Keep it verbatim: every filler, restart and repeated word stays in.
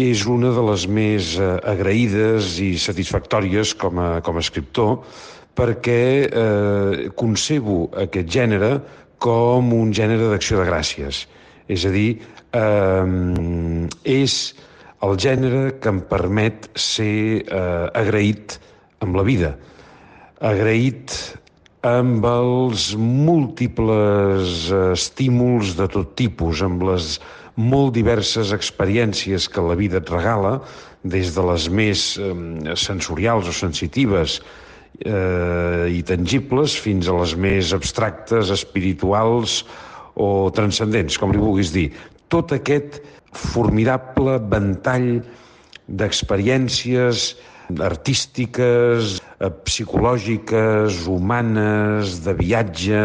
És una de les més eh, agraïdes i satisfactòries com a, com a escriptor perquè eh, concebo aquest gènere com un gènere d'acció de gràcies. És a dir, eh, és el gènere que em permet ser eh, agraït amb la vida, agraït amb els múltiples estímuls de tot tipus, amb les molt diverses experiències que la vida et regala, des de les més eh, sensorials o sensitives eh, i tangibles fins a les més abstractes, espirituals o transcendents, com li vulguis dir. Tot aquest formidable ventall d'experiències artístiques, psicològiques, humanes, de viatge,